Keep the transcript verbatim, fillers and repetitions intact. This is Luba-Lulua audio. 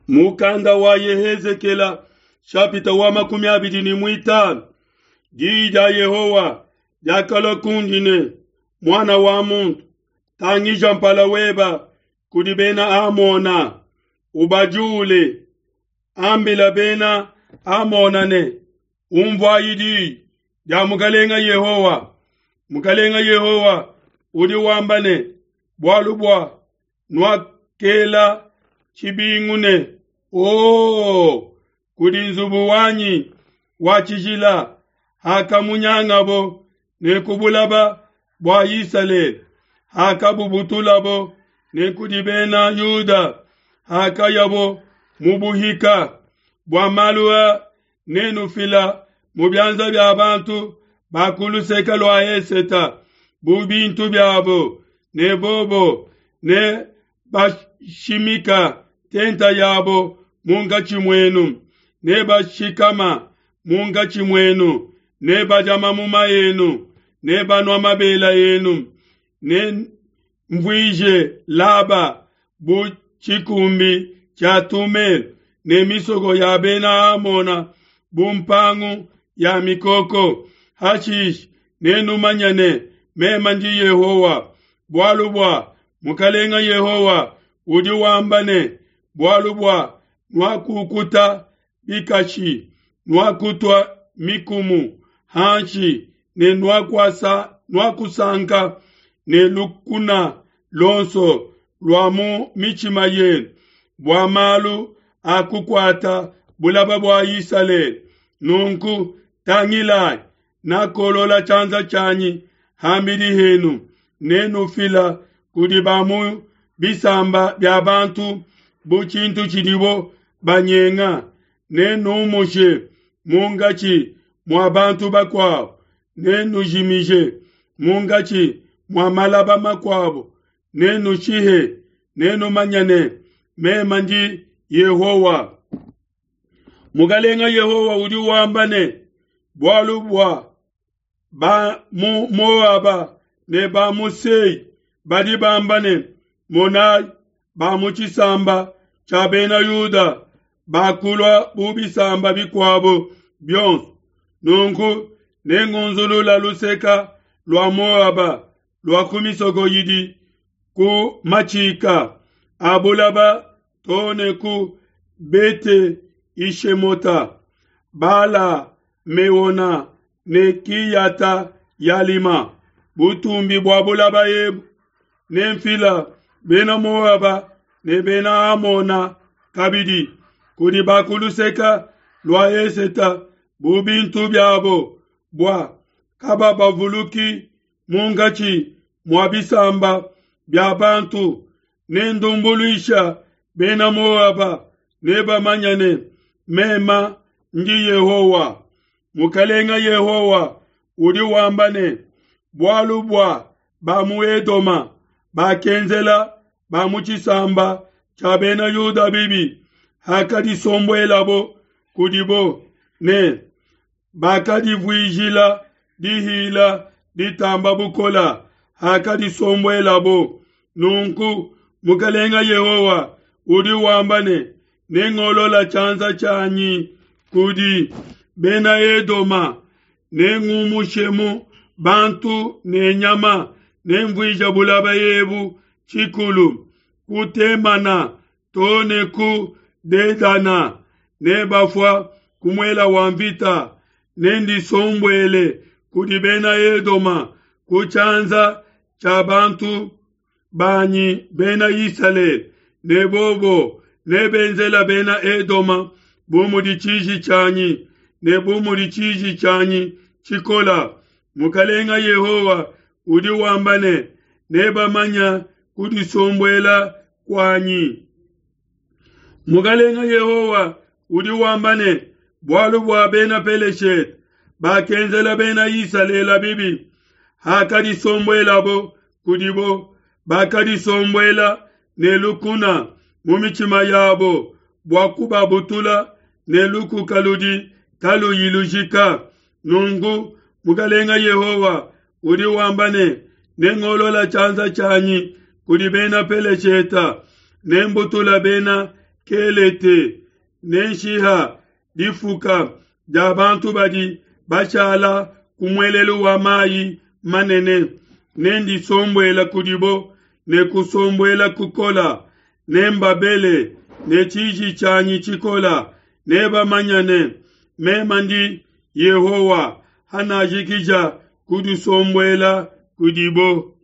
Mukanda wa Yehezekela shapita wa makumi abidi ne muitanu. Diyi dia Yehowa diakalua kundi ne, muana wa muntu, tangija mpala weba kudi bena Amona, ubajule, ambila bena Amona ne, umvuayi diyi dia Mukalenga Yehowa. Mukalenga Yehowa udi wamba ne, bualu bua nuakela tshibingu ne, oh, kudi nzubu wanyi wa tshijila hakamunyangabo ne ku bulaba bua Isalele, hakabubutulabo ne kudi bena Yuda hakayabo mu buhika. Bua malu a nenufila mu bianza bia bantu ba ku luseke lua Eseta bu bintu biabo, ne bobo ne bashimika tenta yabo munkatshi muenu, ne bashikama munkatshi muenu, ne badia mamuma enu, ne banua mabela enu, ne mvuije Laba bu tshikumbi tshia tumelo, ne misoko ya bena Amona bu mpangu ya mikoko. Hashishe nenumanye ne, meme ndi Yehowa. Bualu bua Mukalenga Yehowa udi wamba ne, bualu bua nuakukuta bikashi, nuakutua mikumu hanshi, ne nuakuasa nuakusanka ne lukuna lonso lua mu mitshima yenu bua malu a kukuata bulaba bua Isalele. Nunku tangilai, nakolola tshianza tshianyi hambidi henu, nenufila kudi ba mu bisamba bia bantu bu tshintu tshidibo banyenga, nenumushe munkatshi mua bantu bakuabo, nenujimije munkatshi mua malaba makuabo, nenushihe, nenumanye ne, meme ndi Yehowa. Mukalenga Yehowa udi wamba ne, bualu bua ba mu Moaba ne ba mu Sei badi bamba ne, monai, ba mu tshisamba tshia bena Yuda bakulua bu bisamba bikuabo bionso. Nunku nengunzulula luseka lua Moaba lua ku misoko idi ku matshika a bulaba too ne ku Bete Ishemota, Bala Meona ne Kiyata Yalima, butumbi bua bulaba ebu. Nemfila bena Moaba ne bena Amona kabidi kudi ba ku luseka lua Eseta bu bintu biabo, bua kababavuluki munkatshi mua bisamba bia bantu. Nendumbuluisha bena Moaba, nebamanye ne, meme ndi Yehowa. Mukalenga Yehowa udi wamba ne, bualu bua ba mu Edoma bakenzela ba mu tshisamba tshia bena Yuda bibi, hakadisombuelabo kudibo, ne bakadivuijila dihila ditamba bukola hakadisombuelabo. Nunku Mukalenga Yehowa udi wamba ne, nengolola tshianza tshianyi kudi bena Edoma, nengumushemu bantu ne nyama, nemvuija bulaba ebu tshikulu, ku Temana too ne ku Dedana, nebafua ku muela wa mvita. Nendisombuele kudi bena Edoma ku tshianza tshia bantu banyi bena Isalele, ne bobo nebenzela bena Edoma bu mudi tshiji tshianyi ne bu mudi tshiji tshianyi tshikola. Mukalenga Yehowa udi wamba ne, nebamanya kudisombuela kuanyi. Mukalenga Yehowa udi wamba ne, bualu bua bena Peleshete bakenzela bena Isalele bibi, hakadisombuelabo kudibo, bakadisombuela ne lukuna mu mitshima yabo bua kubabutula ne lukuka ludi kaluyi lujika. Nunku Mukalenga Yehowa udi wamba ne, nengolola tshianza tshianyi kudi bena Peleshete, nembutula bena Kelete, nenshiha difuka dia bantu badi bashala ku muelelu wa mayi manene. Nendisombuela kudibo ne kusombuela kukola, nembabele ne tshiji tshianyi tshikola. Nebamanye ne, Meme ndi Yehowa, hanajikija kudisombuela kudibo.